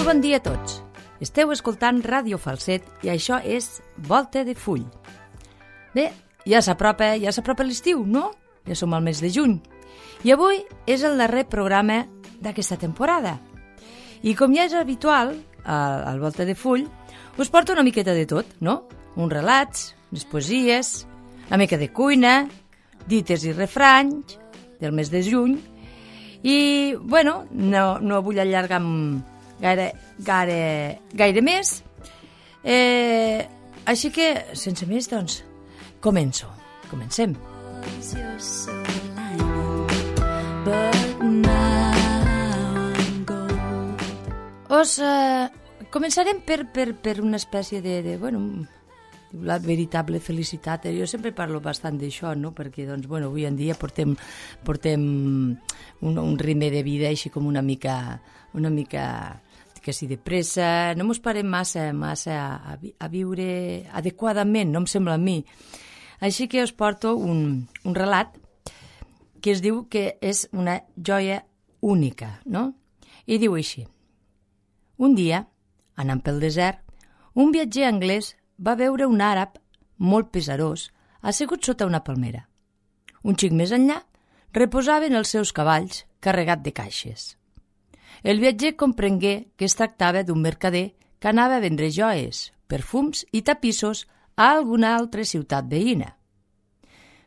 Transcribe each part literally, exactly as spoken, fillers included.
Molt bon dia a tots. Esteu escoltant Ràdio Falset i això és Volta de Full. Bé, ja s'apropa, ja s'apropa l'estiu, no? Ja som al mes de juny. I avui és el darrer programa d'aquesta temporada. I com ja és habitual, al, al Volta de Full, us porto una miqueta de tot, no? Uns relats, unes poesies, una mica de cuina, dites i refranys del mes de juny. I, bueno, no, no vull allargar gaire, gaire, gaire més. Eh, així que, sense més, doncs, començo. Comencem. Us eh, començarem per, per, per una espècie de, de bueno, la veritable felicitat. Jo sempre parlo bastant d'això, no? Perquè, doncs, bueno, avui en dia portem, portem un, un ritme de vida així com una mica, una mica que si de pressa, no mos parem massa, massa a, a viure adequadament, no em sembla a mi. Així que us porto un, un relat que es diu que és una joia única, no? I diu així. Un dia, anant pel desert, un viatger anglès va veure un àrab molt pesarós assegut sota una palmera. Un xic més enllà reposaven els seus cavalls carregat de caixes. El viatger comprengué que es tractava d'un mercader que anava a vendre joies, perfums i tapissos a alguna altra ciutat veïna.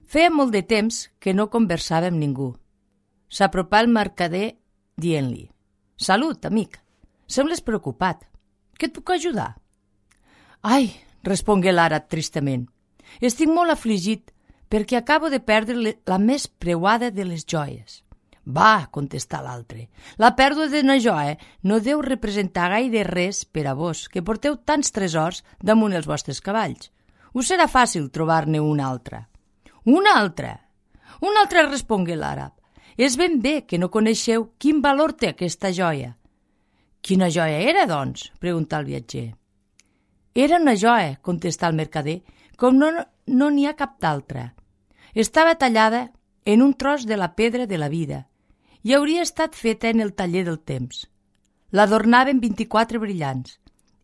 Feia molt de temps que no conversava amb ningú. S'apropà el mercader dient-li: «Salut, amic, sembles preocupat. Què et puc ajudar?» «Ai», respongué l'àrab tristament, «estic molt afligit perquè acabo de perdre la més preuada de les joies». «Va», contestà l'altre, «la pèrdua d'una joia no deu representar gaire res per a vos, que porteu tants tresors damunt els vostres cavalls. Us serà fàcil trobar-ne una altra». «Una altra?» «Una altra», respongué l'àrab. «És ben bé que no coneixeu quin valor té aquesta joia». «Quina joia era, doncs?», preguntà el viatger. «Era una joia», contestà el mercader, «com no no n'hi ha cap d'altra. Estava tallada en un tros de la pedra de la vida i hauria estat feta en el taller del temps. L'adornaven vint-i-quatre brillants,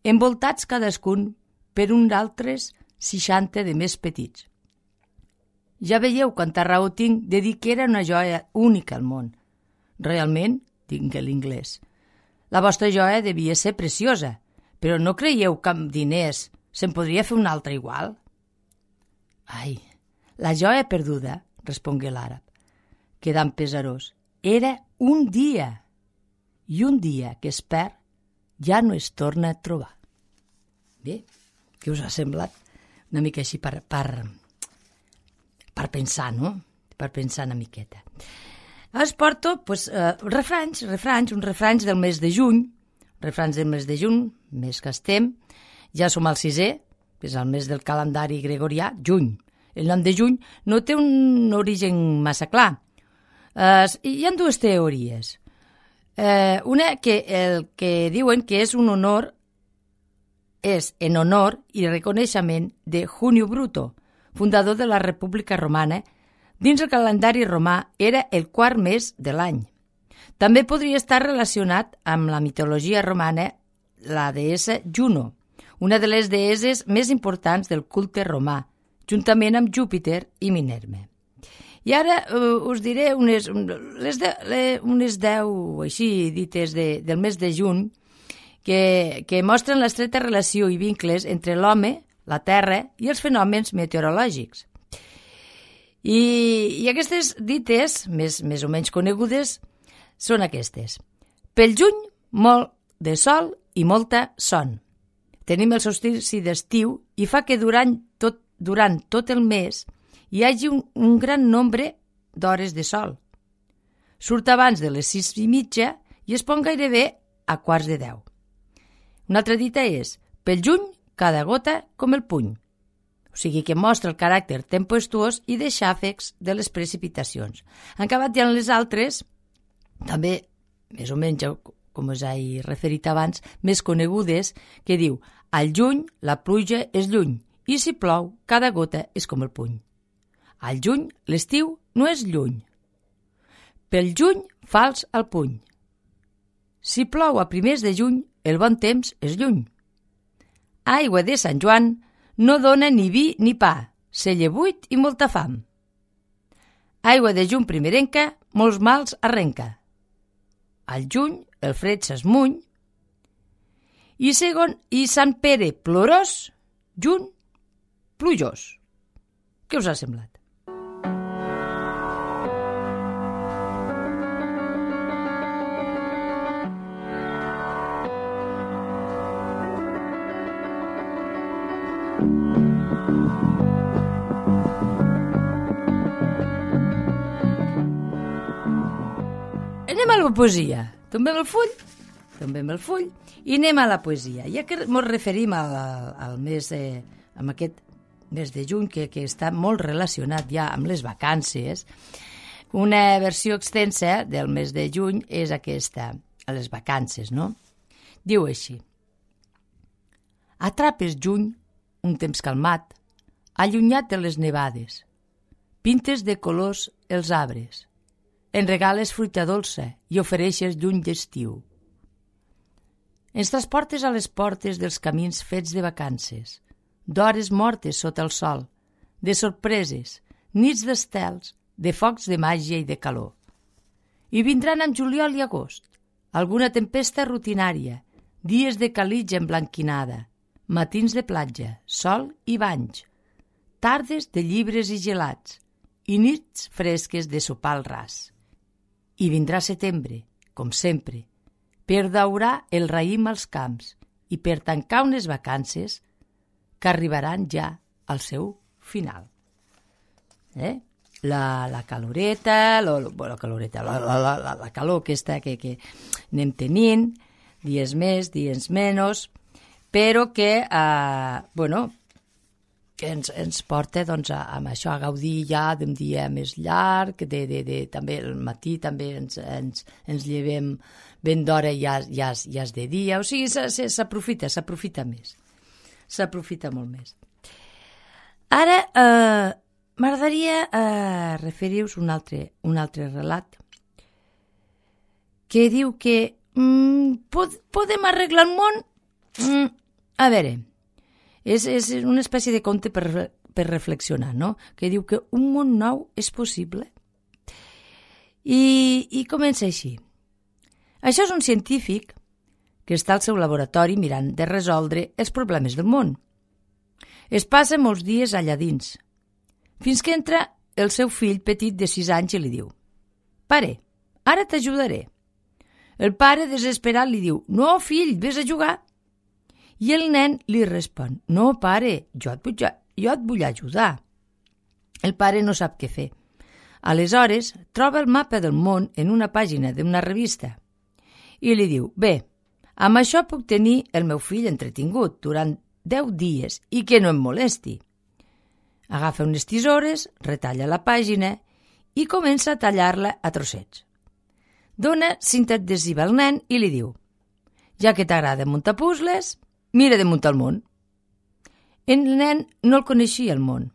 envoltats cadascun per uns altres seixanta de més petits. Ja veieu quanta raó tinc de dir que era una joia única al món. Realment, digué l'inglès, la vostra joia devia ser preciosa, però no creieu que amb diners se'n podria fer una altra igual?» «Ai, la joia perduda», respongué l'àrab, quedant pesarós, «era un dia, i un dia que es perd ja no es torna a trobar». Bé, què us ha semblat? Una mica així per, per, per pensar, no? Per pensar una miqueta. Us porto pues, uh, refranys, refranys, uns refranys del mes de juny, refranys del mes de juny, mes que estem, ja som al sisè, que és el mes del calendari gregorià, juny. El nom de juny no té un origen massa clar. Uh, hi ha dues teories. Uh, una que, el, que diuen que és un honor, és en honor i reconeixement de Junio Bruto, fundador de la República Romana. Dins el calendari romà era el quart mes de l'any. També podria estar relacionat amb la mitologia romana la deessa Juno, una de les deesses més importants del culte romà, juntament amb Júpiter i Minerva. I ara uh, us diré unes, les de, les, unes deu així dites de, del mes de juny que, que mostren l'estreta relació i vincles entre l'home, la terra i els fenòmens meteorològics. I, i aquestes dites, més, més o menys conegudes, són aquestes. Pel juny, molt de sol i molta son. Tenim el solstici d'estiu i fa que durant tot, durant tot el mes hi hagi un, un gran nombre d'hores de sol. Surt abans de les sis i mitja i es pon gairebé a quarts de deu. Una altra dita és, pel juny, cada gota com el puny. O sigui que mostra el caràcter tempestuós i de xàfecs de les precipitacions. En acabat hi ha les altres, també, més o menys, com us he referit abans, més conegudes, que diu, al juny la pluja és lluny, i si plou, cada gota és com el puny. Al juny, l'estiu no és lluny. Pel juny, fals al puny. Si plou a primers de juny, el bon temps és lluny. Aigua de Sant Joan no dona ni vi ni pa, celler buit i molta fam. Aigua de juny primerenca, molts mals arrenca. Al juny el fred s'esmuny i segon i Sant Pere plorós, juny plujós. Què us ha semblat? Anem a la poesia. Tombem el full, tombem el full i anem a la poesia. Ja que ens referim al, al mes de, amb aquest mes de juny, que, que està molt relacionat ja amb les vacances, una versió extensa del mes de juny és aquesta, a les vacances, no? Diu així: atrapes juny, un temps calmat, allunyat de les nevades, pintes de colors els arbres, en regales fruita dolça i ofereixes lluny d'estiu. Ens transportes a les portes dels camins fets de vacances, d'hores mortes sota el sol, de sorpreses, nits d'estels, de focs de màgia i de calor. I vindran amb juliol i agost, alguna tempesta rutinària, dies de calitja emblanquinada, matins de platja, sol i banys, tardes de llibres i gelats, i nits fresques de sopar al ras. I vindrà setembre, com sempre, per daurar el raïm als camps i per tancar unes vacances que arribaran ja al seu final. Eh? La, la caloreta, lo, lo, la, caloreta la, la, la, la calor aquesta que, que anem tenint, dies més, dies menys, però que, eh, bueno, que ens, ens porta doncs, a, a això, a gaudir ja d'un dia més llarg, de, de, de, també al matí també ens, ens, ens llevem ben d'hora i ja, ja, ja és de dia, o sigui, s'aprofita, s'aprofita més, s'aprofita molt més. Ara, eh, m'agradaria eh, referir-vos un altre, un altre relat que diu que mm, pod, podem arreglar el món? Mm, a veure, És, és una espècie de conte per, per reflexionar, no? Que diu que un món nou és possible. I, i comença així. Això és un científic que està al seu laboratori mirant de resoldre els problemes del món. Es passa molts dies allà dins, fins que entra el seu fill petit de sis anys i li diu: «Pare, ara t'ajudaré». El pare, desesperat, li diu: «No, fill, vés a jugar». I el nen li respon: «No, pare, jo et, vull, jo et vull ajudar». El pare no sap què fer. Aleshores, troba el mapa del món en una pàgina d'una revista i li diu: «Bé, amb això puc tenir el meu fill entretingut durant deu dies i que no em molesti». Agafa unes tisores, retalla la pàgina i comença a tallar-la a trossets. Dona cinta adhesiva al nen i li diu: «Ja que t'agrada muntar puzzles, mira de muntar el món». El nen no el coneixia, el món.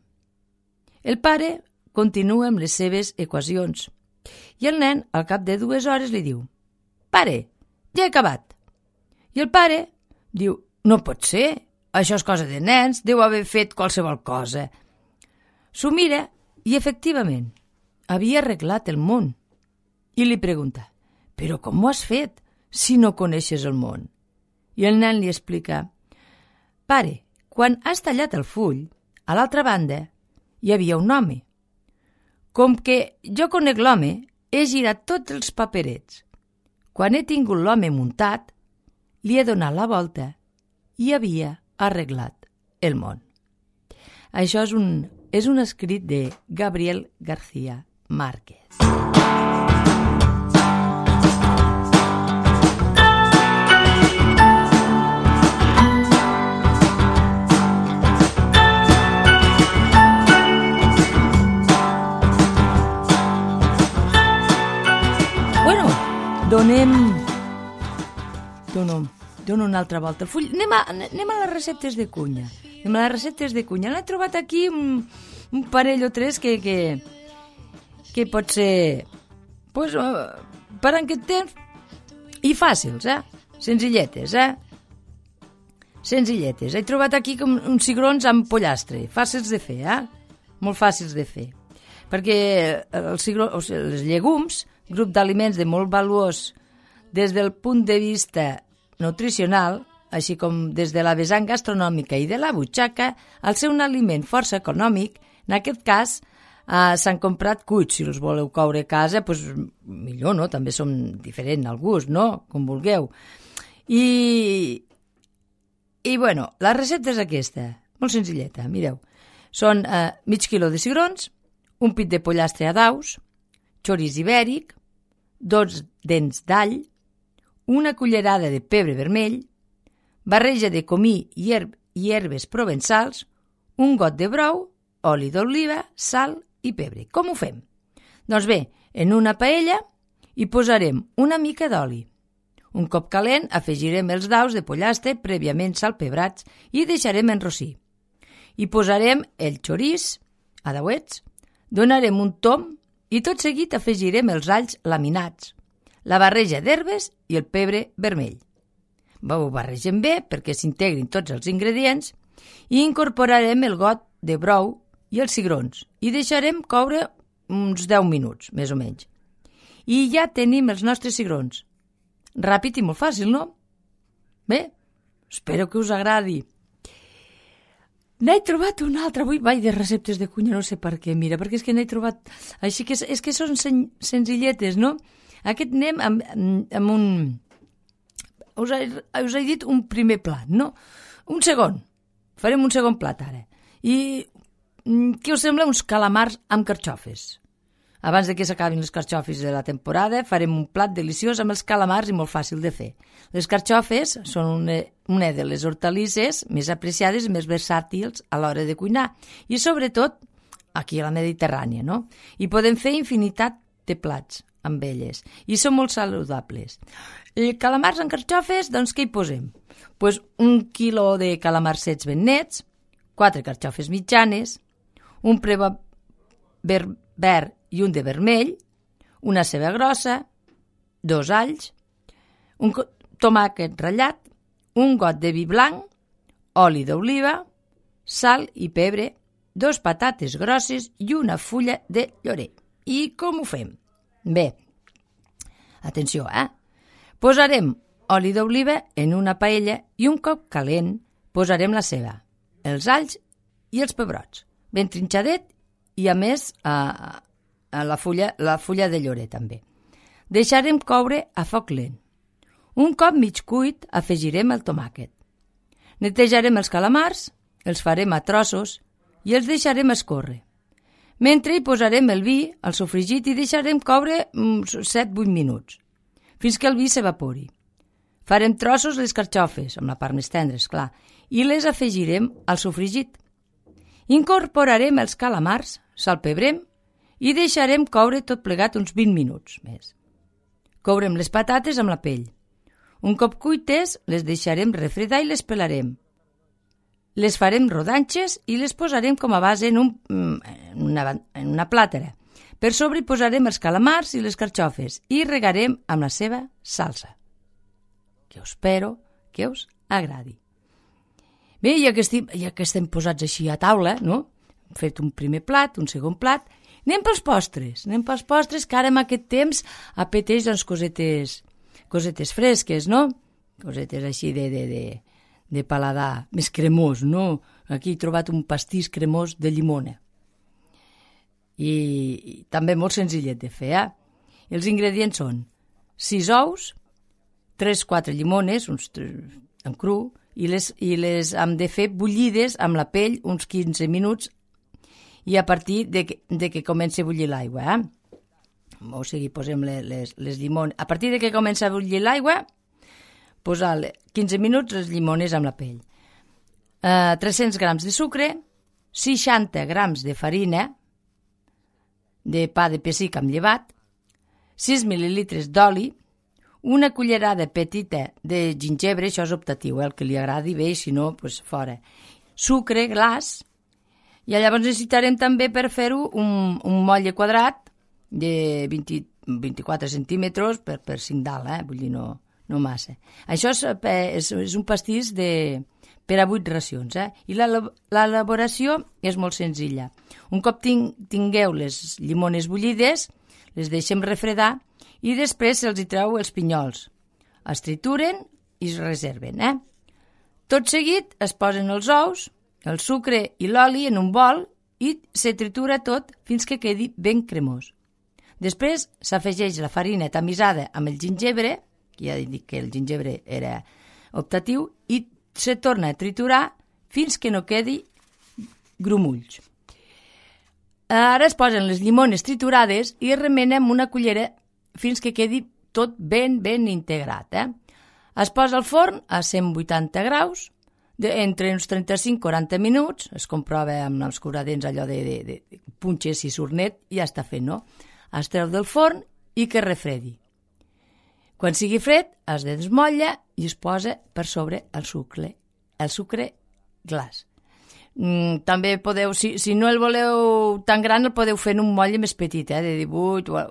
El pare continua amb les seves equacions i el nen, al cap de dues hores, li diu: «Pare, ja he acabat». I el pare diu: «No pot ser, això és cosa de nens, deu haver fet qualsevol cosa». S'ho mira i, efectivament, havia arreglat el món. I li pregunta: «Però com ho has fet, si no coneixes el món?» I el nen li explica: «Pare, quan has tallat el full, a l'altra banda hi havia un home. Com que jo conec l'home, he girat tots els paperets. Quan he tingut l'home muntat, li he donat la volta i havia arreglat el món». Això és un, és un escrit de Gabriel García Márquez. Donem... Dono, dono una altra volta el full. Anem a, anem a les receptes de cunya. Anem a les receptes de cunya. N'he trobat aquí un, un parell o tres que, que, que pot ser pues, per en aquest temps i fàcils, eh? Senzilletes, eh? senzilletes. He trobat aquí com uns cigrons amb pollastre, fàcils de fer, eh? Molt fàcils de fer. Perquè els, cigrons, o sigui, els llegums, grup d'aliments de molt valuós des del punt de vista nutricional, així com des de la vessant gastronòmica i de la butxaca, al ser un aliment força econòmic, en aquest cas eh, s'han comprat cuits. Si els voleu coure a casa, doncs millor, no? També són diferents al gust, no? Com vulgueu. I, i bueno, la recepta és aquesta, molt senzilleta, mireu. Són eh, mig quilo de cigrons, un pit de pollastre a daus, xoriç ibèric, dos dents d'all, una cullerada de pebre vermell, barreja de comí i, herb i herbes provençals, un got de brou, oli d'oliva, sal i pebre. Com ho fem? Doncs bé, en una paella hi posarem una mica d'oli. Un cop calent, afegirem els daus de pollastre prèviament salpebrats i deixarem enrossir. Hi posarem el xoriç a dauets, donarem un tom i tot seguit afegirem els alls laminats, la barreja d'herbes i el pebre vermell. Ho barregem bé perquè s'integrin tots els ingredients i incorporarem el got de brou i els cigrons i deixarem coure uns deu minuts, més o menys. I ja tenim els nostres cigrons. Ràpid i molt fàcil, no? Bé, espero que us agradi. N'he trobat una altra, avui vaig de receptes de cuina, no sé per què, mira, perquè és que n'he trobat, així que és, és que són sen, senzilletes, no? Aquest anem amb, amb un, us he, us he dit un primer plat, no? Un segon, farem un segon plat ara. I què us sembla uns calamars amb carxofes? Abans de que s'acabin les carxofes de la temporada, farem un plat deliciós amb els calamars i molt fàcil de fer. Les carxofes són una, una de les hortalisses més apreciades i més versàtils a l'hora de cuinar. I sobretot aquí a la Mediterrània, no? I podem fer infinitat de plats amb elles. I són molt saludables. I calamars amb carxofes, doncs què hi posem? Pues un quilo de calamars secs ben nets, quatre carxofes mitjanes, un preba verd i un de vermell, una ceba grossa, dos alls, un tomàquet ratllat, un got de vi blanc, oli d'oliva, sal i pebre, dos patates grosses i una fulla de llorer. I com ho fem? Bé, atenció, eh? Posarem oli d'oliva en una paella i un cop calent posarem la ceba, els alls i els pebrots, ben trinxadet i a més a, a la, fulla, la fulla de llorer també. Deixarem coure a foc lent. Un cop mig cuit afegirem el tomàquet. Netejarem els calamars, els farem a trossos i els deixarem escórrer. Mentre hi posarem el vi al sofregit i deixarem coure set a vuit minuts, fins que el vi s'evapori. Farem trossos les carxofes, amb la part més tendra, esclar, i les afegirem al sofregit. Incorporarem els calamars, salpebrem i deixarem coure tot plegat uns vint minuts més. Courem les patates amb la pell. Un cop cuites, les deixarem refredar i les pelarem. Les farem rodanxes i les posarem com a base en, un, en, una, en una plàtera. Per sobre hi posarem els calamars i les carxofes i regarem amb la seva salsa, que us espero que us agradi. Bé, ja que, estem, ja que estem posats així a taula, no? Hem fet un primer plat, un segon plat, anem pels postres, anem pels postres, que ara en aquest temps apeteix doncs, cosetes, cosetes fresques, no? Cosetes així de, de, de, de paladar més cremós, no? Aquí he trobat un pastís cremós de llimona. I, i també molt senzillet de fer, eh? Els ingredients són sis ous, tres o quatre llimones, uns en cru, i les, i les hem de fer bullides amb la pell uns quinze minuts i a partir de que, de que comenci a bullir l'aigua. Eh? O sigui, posem les, les, les llimones. A partir de que comença a bullir l'aigua, posar quinze minuts les llimones amb la pell. Uh, tres-cents grams de sucre, seixanta grams de farina, de pa de pessic amb llevat, sis mil·lilitres d'oli, una cullerada petita de gingebre, això és optatiu, eh? El que li agradi bé, si no, doncs fora. Sucre, glaç, i llavors necessitarem també per fer-ho un, un motlle quadrat de vint, vint-i-quatre centímetres per, per cinc dalt, eh? Vull dir, no, no massa. Això és, és, és un pastís de, per a vuit racions. Eh? I l'elaboració és molt senzilla. Un cop tingueu les llimones bullides, les deixem refredar i després se'ls hi treu els pinyols. Es trituren i es reserven. Eh? Tot seguit es posen els ous, el sucre i l'oli en un bol i se tritura tot fins que quedi ben cremós. Després s'afegeix la farina tamisada amb el gingebre, que ja he dit que el gingebre era optatiu, i se torna a triturar fins que no quedi grumolls. Ara es posen les llimones triturades i es remena amb una cullera fins que quedi tot ben, ben integrat. Eh? Es posa al forn a cent vuitanta graus, de, entre uns trenta-cinc a quaranta minuts, es comprova amb els curadents allò de, de, de punxes i sornet i ja està fet, no? Es treu del forn i que refredi. Quan sigui fred, es desmotlla i es posa per sobre el sucre, el sucre glaç. Mm, també podeu, si, si no el voleu tan gran, el podeu fer en un motlle més petit, eh, de divuit, o,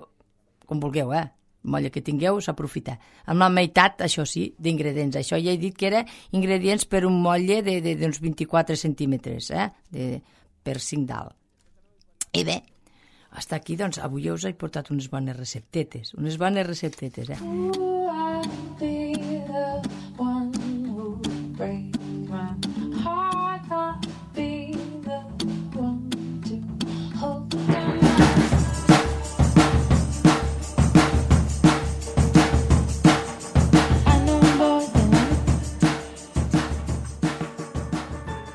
com vulgueu, eh? El motlle que tingueu s'aprofita. Amb la meitat, això sí, d'ingredients. Això ja he dit que era ingredients per un motlle d'uns vint-i-quatre centímetres, eh? De, per cinc dalt. I bé, hasta aquí, doncs, avui us he portat unes bones receptetes, unes bones receptetes, eh?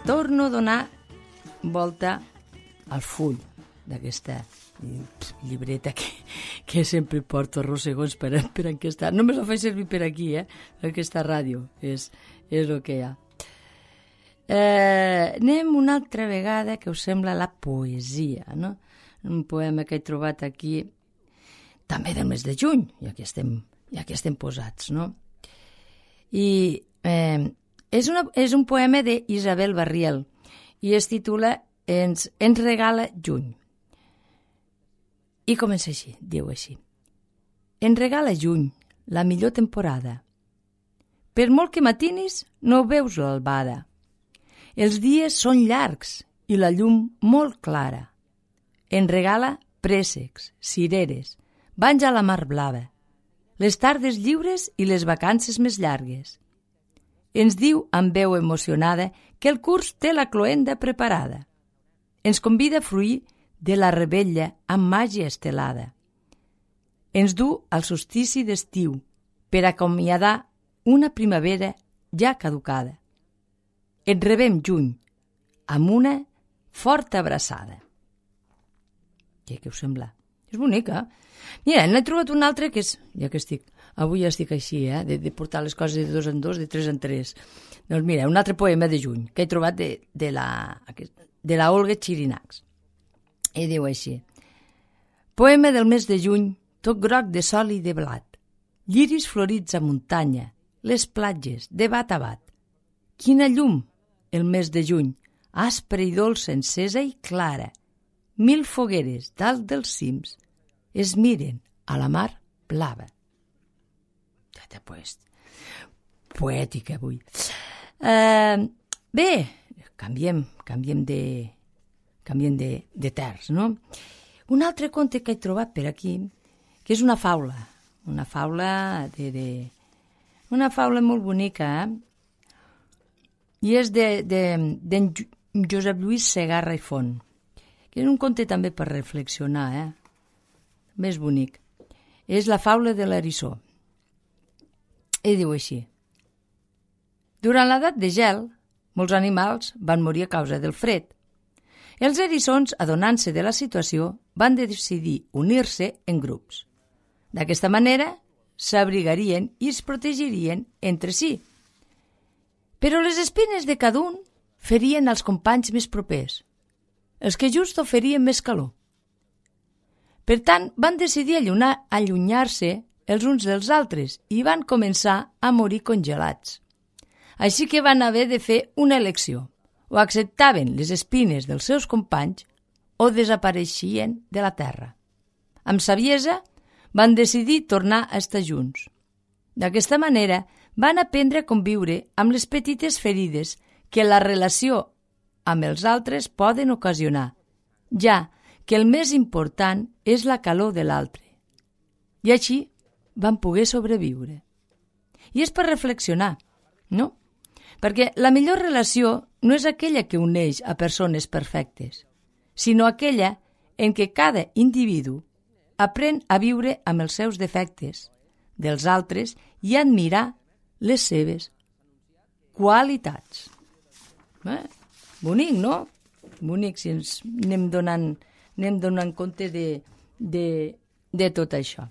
Torno a donar volta al full d'aquesta llibreta que, que sempre porto arrossegons per, per aquesta... Només ho faig servir per aquí, eh? Aquesta ràdio, és, és el que hi ha. Eh, anem una altra vegada, que us sembla, la poesia, no? Un poema que he trobat aquí, també del mes de juny, ja que estem, ja que estem posats, no? I eh, és, una, és un poema d'Isabel Barriel i es titula Ens, ens regala juny. I comença així, diu així. Ens regala juny, la millor temporada. Per molt que matinis, no veus l'albada. Els dies són llargs i la llum molt clara. Ens regala préssecs, cireres, banys a la mar blava, les tardes lliures i les vacances més llargues. Ens diu amb veu emocionada que el curs té la cloenda preparada. Ens convida a fruir de la rebella amb màgia estelada. Ens du al solstici d'estiu per acomiadar una primavera ja caducada. Et rebem juny amb una forta abraçada. Què, què us sembla? És bonica. Mira, n'he trobat un altre que és, ja que estic, avui estic així, eh, de, de portar les coses de dos en dos, de tres en tres. Doncs mira, un altre poema de juny que he trobat de, de la... de la Olga Xirinacs. I diu així. Poema del mes de juny, tot groc de sol i de blat. Lliris florits a muntanya, les platges, de bat a bat. Quina llum, el mes de juny, aspra i dolça, encesa i clara. Mil fogueres dalt dels cims es miren a la mar blava. Ja t'he puesto. Poètica avui. Uh, bé, canviem, canviem de, canviem de, de terç, no? Un altre conte que he trobat per aquí, que és una faula, una faula de, de una faula molt bonica, eh? I és de, de, de Josep Lluís Segarra i Font, que és un conte també per reflexionar, eh? Més bonic. És la faula de l'eriçó. I diu així. Durant l'edat de gel, molts animals van morir a causa del fred. Els eriçons, adonant-se de la situació, van decidir unir-se en grups. D'aquesta manera, s'abrigarien i es protegirien entre si. Però les espines de cada un ferien els companys més propers, els que just oferien més calor. Per tant, van decidir allunyar, allunyar-se els uns dels altres i van començar a morir congelats. Així que van haver de fer una elecció. O acceptaven les espines dels seus companys o desapareixien de la terra. Amb saviesa van decidir tornar a estar junts. D'aquesta manera van aprendre a conviure amb les petites ferides que la relació amb els altres poden ocasionar, ja que el més important és la calor de l'altre. I així van poder sobreviure. I és per reflexionar, no? Perquè la millor relació no és aquella que uneix a persones perfectes, sinó aquella en què cada individu aprèn a viure amb els seus defectes dels altres i a admirar les seves qualitats. Eh? Bonic, no? Bonic si ens anem donant, anem donant compte de, de, de tot això.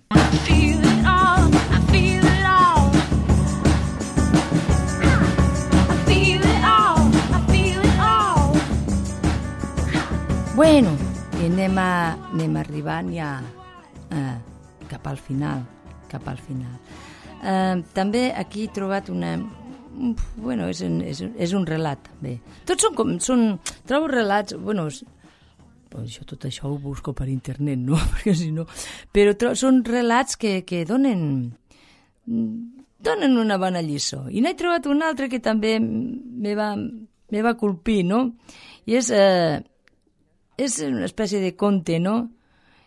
Bueno, i anem, a, anem arribant ja eh, cap al final, cap al final. Eh, també aquí he trobat una... Bueno, és, un, és, és un relat, bé. Tots són com... Són, trobo relats... Bueno, és, això, tot això ho busco per internet, no? Perquè si no... Però tro, són relats que, que donen... donen una bona lliçó. I n'he trobat un altre que també me va, me va colpir, no? I és... Eh, és una espècie de conte, no?,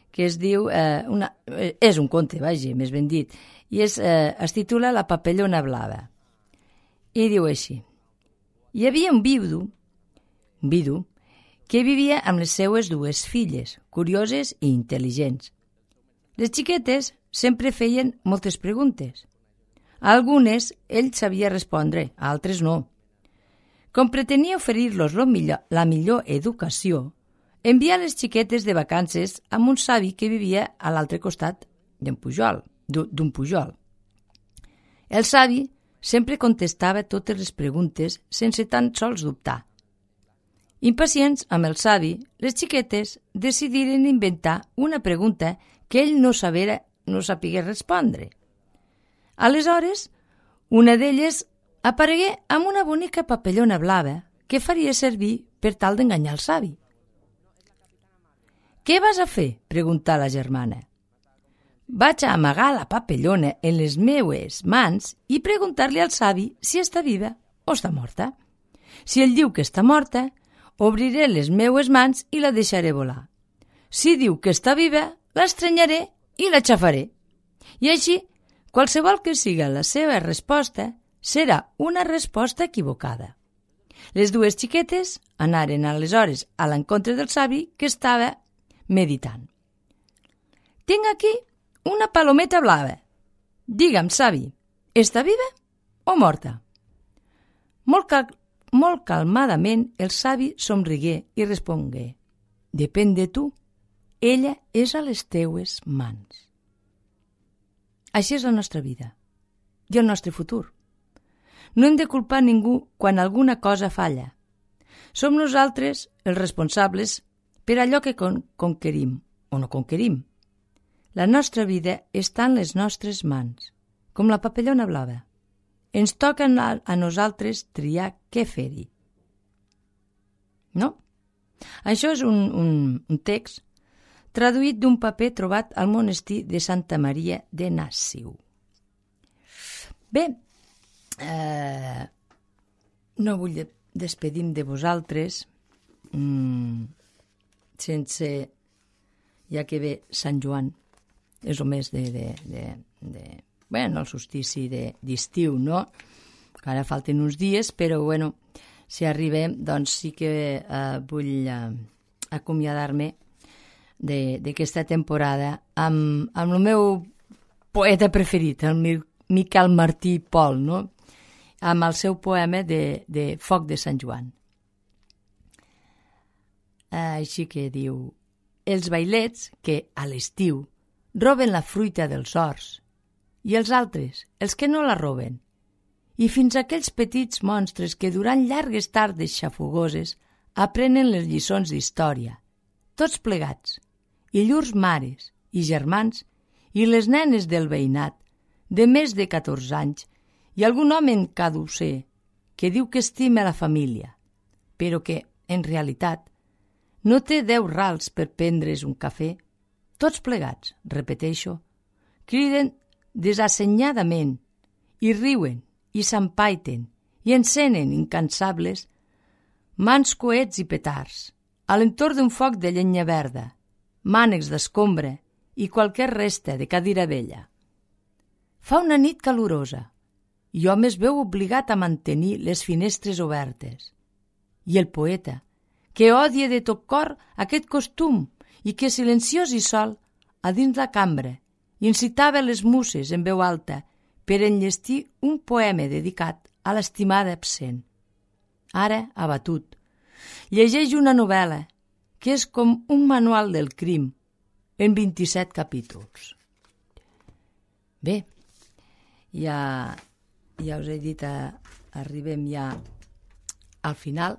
que es diu... Eh, una, eh, és un conte, vaja, més ben dit, i és, eh, es titula La papellona blava. I diu així. Hi havia un viudo, un vidu, que vivia amb les seues dues filles, curioses i intel·ligents. Les xiquetes sempre feien moltes preguntes. A algunes ell sabia respondre, a altres no. Com pretenia oferir-los la millor educació, envia les xiquetes de vacances amb un savi que vivia a l'altre costat d'un pujol, d'un pujol. El savi sempre contestava totes les preguntes sense tan sols dubtar. Impacients amb el savi, les xiquetes decidiren inventar una pregunta que ell no sabera, no sapigués respondre. Aleshores, una d'elles aparegué amb una bonica papellona blava que faria servir per tal d'enganyar el savi. «Què vas a fer?», preguntà la germana. «Vaig a amagar la papellona en les meues mans i preguntar-li al savi si està viva o està morta. Si ell diu que està morta, obriré les meues mans i la deixaré volar. Si diu que està viva, l'estrenyaré i la xafaré. I així, qualsevol que siga la seva resposta, serà una resposta equivocada». Les dues xiquetes anaren aleshores a l'encontre del savi que estava meditant. «Tinc aquí una palometa blava. Digue'm, savi, està viva o morta?» Molt, cal molt calmadament el savi somrigué i respongué: «Depèn de tu. Ella és a les teues mans». Així és la nostra vida i el nostre futur. No hem de culpar ningú quan alguna cosa falla. Som nosaltres els responsables per allò que con conquerim o no conquerim. La nostra vida està en les nostres mans, com la papellona blava. Ens toca a, a nosaltres triar què fer-hi. No? Això és un, un, un text traduït d'un paper trobat al monestir de Santa Maria de Nassiu. Bé, eh, no vull despedir-me de vosaltres mm, sense, ja que ve Sant Joan, és el mes de, de, de, de bueno, el solstici d'estiu, no? Que ara falten uns dies, però bueno, si arribem, doncs sí que eh, vull eh, acomiadar-me d'aquesta temporada amb, amb el meu poeta preferit, el Miquel Martí i Pol, no? Amb el seu poema de, de Foc de Sant Joan. Així que diu: els vailets que, a l'estiu, roben la fruita dels horts, i els altres, els que no la roben, i fins a aquells petits monstres que durant llargues tardes xafogoses aprenen les lliçons d'història, tots plegats, i llurs mares i germans i les nenes del veïnat, de més de catorze anys, i algun home caducer que diu que estima la família, però que, en realitat, no té deu rals per prendre's un cafè, tots plegats, repeteixo, criden desassenyadament i riuen i s'empaiten i encenen incansables mans coets i petards, a l'entorn d'un foc de llenya verda, mànecs d'escombra i qualque resta de cadira vella. Fa una nit calorosa i hom es veu obligat a mantenir les finestres obertes. I el poeta, que odia de tot cor aquest costum i que silenciós i sol, a dins la cambra, incitava les muses en veu alta per enllestir un poema dedicat a l'estimada absent. Ara, abatut, llegeix una novel·la que és com un manual del crim en vint-i-set capítols. Bé, ja, ja us he dit, a, arribem ja al final.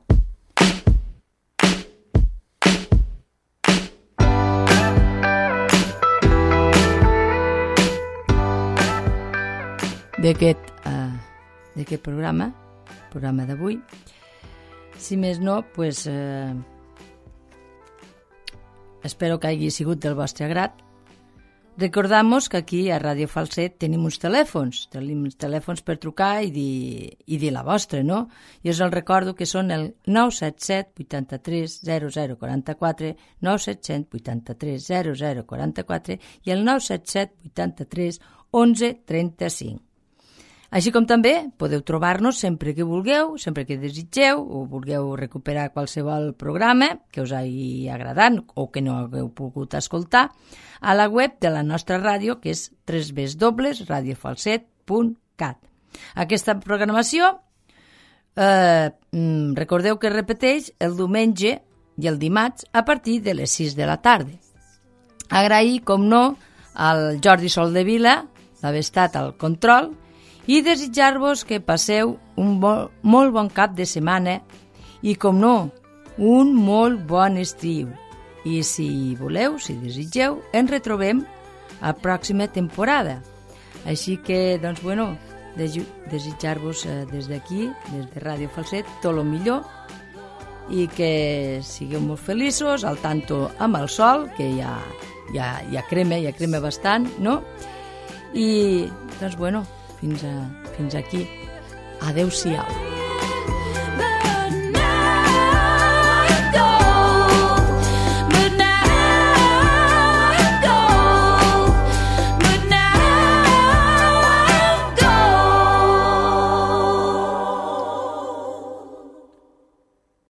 D'aquest uh, d'aquest programa, programa d'avui. Si més no, pues, eh, espero que hagi sigut del vostre agrat. Recordam-vos que aquí a Ràdio Falset tenim uns telèfons, tenim uns telèfons per trucar i dir, i dir la vostra, no? I us el recordo que són el nou set set vuitanta-tres zero zero quaranta-quatre, nou set set vuitanta-tres zero zero quaranta-quatre i el nou set set vuitanta-tres onze trenta-cinc. Així com també podeu trobar-nos sempre que vulgueu, sempre que desitgeu o vulgueu recuperar qualsevol programa que us hagi agradat o que no hagueu pogut escoltar a la web de la nostra ràdio, que és w w w punt radio falset punt cat. Aquesta programació, eh, recordeu que repeteix el diumenge i el dimarts a partir de les sis de la tarda. Agrair, com no, al Jordi Soldevila d'haver estat al control i desitjar-vos que passeu un bo, molt bon cap de setmana i, com no, un molt bon estiu. I si voleu, si desitgeu, ens retrobem a pròxima temporada. Així que, doncs, bueno, desitjar-vos eh, des d'aquí, des de Ràdio Falset, tot el millor i que sigueu molt feliços, al tanto amb el sol, que ja, ja, ja crema, ja crema bastant, no? I, doncs, bueno, Fins, a, fins aquí. Adéu-siau.